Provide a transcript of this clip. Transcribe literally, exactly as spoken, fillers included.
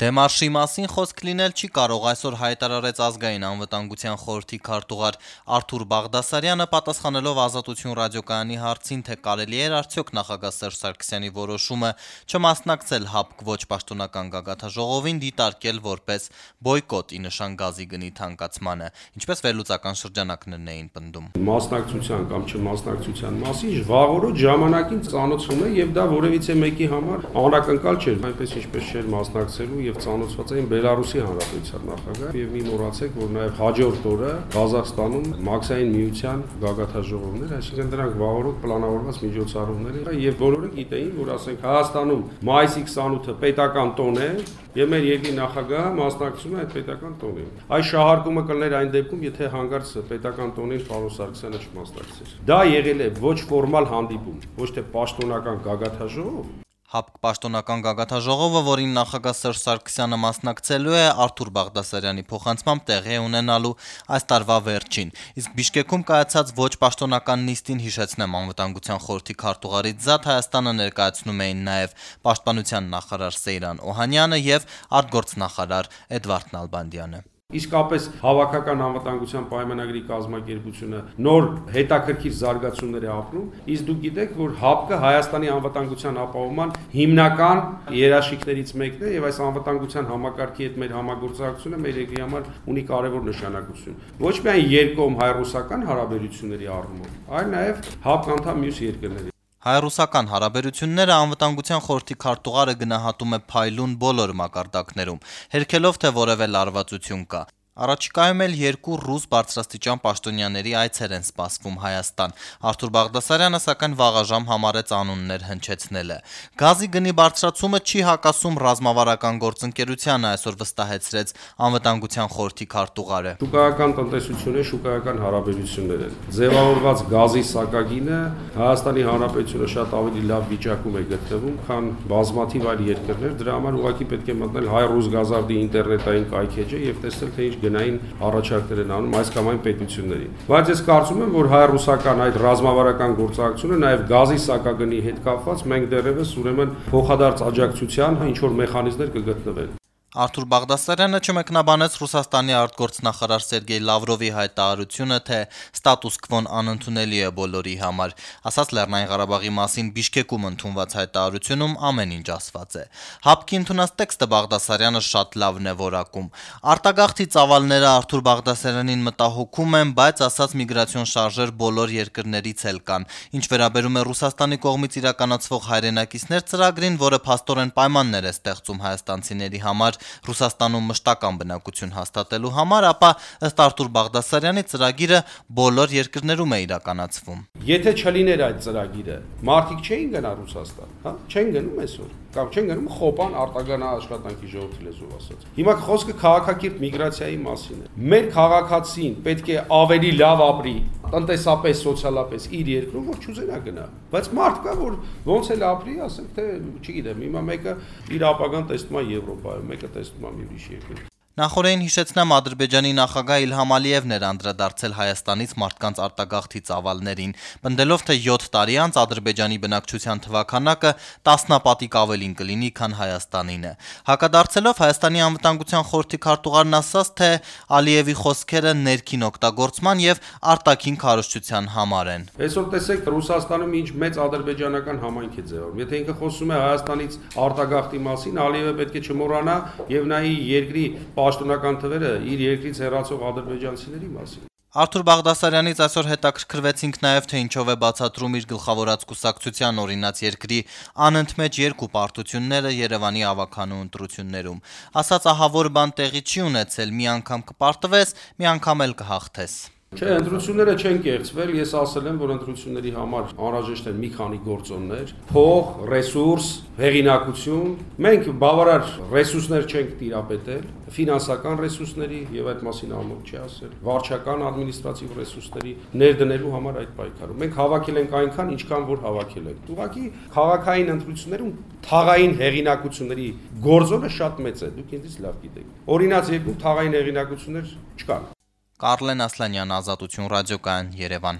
Դեմարշի մասին խոսք լինել չի կարող, այսօր հայտարարեց ազգային անվտանգության խորհրդի քարտուղար Արթուր Բաղդասարյանը, պատասխանելով Ազատություն ռադիոկայանի հարցին, թե կարելի էր արդյոք նախագահ Սերժ Սարգսյանի որոշումը չմասնակցել ՀԱՊԿ ոչ պաշտոնական գագաթնաժողովին դիտարկել որպես բոյկոտ ի նշան գազի գնի թանկացմանը, ինչպես վերլուծական շրջանակներն էին պնդում։ Մասնակցության կամ չմասնակցության մասին վաղօրոք ժամանակին ծանոթում է եւ դա որևիցե մեկի համար անակնկալ չէր, այնպես ինչպես չէր մասնակցելու եւ ծանոթված էին Բելարուսի Հանրապետության նախագահ եւ մի մոռացեք, որ նաեւ հաջորդ օրը Ղազախստանում Մաքսային միության գագաթնաժողովներ, այսինքն դրանք վաղօրոք պլանավորված միջոցառումներ են եւ բոլորը գիտեին, որ ասենք Հայաստանում մայիսի քսանութը պետական տոն է եւ մեր երկրի նախագահը մասնակցում է այդ պետական տոնին։ Այս շահարկումը կլներ այն դեպքում, եթե հանկարծ պետական տոնին պարոն Սարգսյանը չմասնակցեր։ Դա եղել է ոչ ֆորմալ հանդիպում, ոչ թե պաշտոնական գագաթնաժողով։ ՀԱՊԿ պաշտոնական գագաթնաժողովը, որին նախագահ Սերժ Սարգսյանը մասնակցելու է, Արթուր Բաղդասարյանի փոխանցմամբ տեղի է ունենալու այս տարվա վերջին։ Իսկ Բիշկեքում կայացած ոչ պաշտոնական նիստին, հիշեցնեմ, անվտանգության խորհրդի քարտուղարից զատ Հայաստանը ներկայացնում էին նաև պաշտպանության նախարար Սեյրան Օհանյանը եւ արտգործնախարար Էդվարդ Նալբանդյանը։ Իսկապես հավաքական անվտանգության պայմանագրի կազմակերպությունը նոր հետաքրքիր զարգացումներ է ապրում, իսկ դուք գիտեք, որ ՀԱՊԿ-ը Հայաստանի անվտանգության ապահովման հիմնական երաշխիքներից մեկն է եւ այս անվտանգության համակարգի հետ մեր համագործակցությունը մեր երկրի համար ունի կարեւոր նշանակություն։ Ոչ միայն երկկողմ հայ-ռուսական հարաբերությունների առումով, այլ նաեւ ՀԱՊԿ անդամ մյուս երկրների։ Հայ-ռուսական հարաբերությունները անվտանգության խորհրդի քարտուղարը գնահատում է փայլուն բոլոր մակարդակներում, հերքելով, թե որևէ լարվածություն կա։ Առաջիկայում էլ երկու ռուս բարձրաստիճան պաշտոնյաների այցեր են սպասվում Հայաստան։ Արթուր Բաղդասարյանը սակայն վաղաժամ համարեց անուններ հնչեցնելը։ Գազի գնի բարձրացումը չի հակասում ռազմավարական գործընկերությանը, այսօր վստահեցրեց անվտանգության խորհրդի քարտուղարը։ Շուկայական տնտեսությունը, շուկայական հարաբերություններ են։ Ձևավորված գազի սակագինը Հայաստանի Հանրապետությունը շատ ավելի լավ վիճակում է գտնվում, քան բազմաթիվ այլ երկրներ։ Դրա համար ուղղակի պետք է մտնել հայ-ռուս գազարդի ինտերնետային կայքեջը եւ տեսնել, թե ինչ գնային առաջարկներ են անում այս կամ այն պետություններին։ Բայց ես կարծում եմ, որ հայ-ռուսական այդ ռազմավարական գործակցությունը նաև գազի սակագնի հետ կապված մենք դեռևս ուրեմն փոխադարձ աջակցության ինչ որ մեխանիզմներ կգտնվեն։ Արթուր Բաղդասարյանը չմեկնաբանեց Ռուսաստանի արտգործնախարար Սերգեյ Լավրովի հայտարարությունը, թե ստատուս քվոն անընդունելի է բոլորի համար, ասաց Լեռնային Ղարաբաղի մասին Բիշկեկում ընդունված հայտարարությունում ամեն ինչ ասված է։ ՀԱՊԿ-ի ընդունած տեքստը Բաղդասարյանը շատ լավն է որակում։ Արտագաղթի ծավալները Արթուր Բաղդասարյանին մտահոգում են, բայց ասաց միգրացիոն շարժեր բոլոր երկրներից էլ կան։ Ինչ վերաբերում է Ռուսաստանի կողմից իրականացվող հայրենակիցներ ծրագրին, որը փաստորեն պայմաններ է ստեղծում հայաստանցիների համար Ռուսաստանում մշտական բնակություն հաստատելու համար, ապա ըստ Արթուր Բաղդասարյանի ծրագիրը բոլոր երկրներում է իրականացվում։ Եթե չլիներ այդ ծրագիրը, մարդիկ չէին գնա Ռուսաստան, հա, չեն գնում այսօր, կամ չեն գնում խոպան արտագանա աշխատանքի ժողովրդի լեզվով ասած։ Հիմա խոսքը քաղաքակիրթ միգրացիայի մասին է։ Մեր քաղաքացին պետք է ավելի լավ ապրի, տնտեսապես, սոցիալապես իր երկրում, որ չուզենա գնա։ Բայց մարդ կա, որ ոնց էլ ապրի, ասենք թե, չգիտեմ, հիմա մեկը իր ապագան տեսնում է Եվրոպայում, մեկը տեսնում է մի ուրիշ երկրում։ Նախորդին հիշեցնեմ, Ադրբեջանի նախագահ Իլհամ Ալիևն էր անդրադարձել Հայաստանից մարդկանց արտագաղթի ծավալներին, պնդելով, թե յոթ տարի անց Ադրբեջանի բնակչության թվաքանակը տասնապատիկ ավելին կլինի, քան Հայաստանինը։ Հակադարձելով Հայաստանի անվտանգության խորհրդի քարտուղարն ասաց, թե Ալիևի խոսքերը ներքին օգտագործման եւ արտաքին քարոզչության համար են։ Այսօր տեսեք Ռուսաստանում ինչ մեծ ադրբեջանական համայնք է ձևավորվում։ Եթե ինքը խոսում է Հայաստանից արտագաղթի մասին, Ալիևը պետք է չմոռանա եւ նայի երկրի պաշտոնական թվերը իր երկրից հեռացող ադրբեջանցիների մասին։ Արթուր Բաղդասարյանից այսօր հետաքրքրվեցինք նաև, թե ինչով է բացատրում իր գլխավորած կուսակցության օրինաց երկրի անընդմեջ երկու պարտությունները Երևանի ավականու ընտրություններում։ Ասաց, ահավոր բան տեղի չի ունեցել, մի անգամ կպարտվես, մի անգամ էլ կհաղթես։ Չէ, ընտրությունները չեն կեղծվել, ես ասել եմ, որ ընտրությունների համար անհրաժեշտ են մի քանի գործոններ՝ փող, ռեսուրս, հեղինակություն։ Մենք բավարար ռեսուրսներ չենք տիրապետել, ֆինանսական ռեսուրսների եւ այդ մասին ամոթ չի ասել, վարչական ադմինիստրատիվ ռեսուրսների ներդնելու համար այդ պայքարում։ Մենք հավաքել ենք այնքան, ինչքան որ հավաքել ենք։ Ուղղակի քաղաքային ընտրություններում թաղային հեղինակությունների գործոնը շատ մեծ է, դուք ինձ լավ գիտեք։ Օրինաց երկու թաղային հեղինակություններ չկան։ Կարլեն Ասլանյան, Ազատություն ռադիոկայան, Երևան։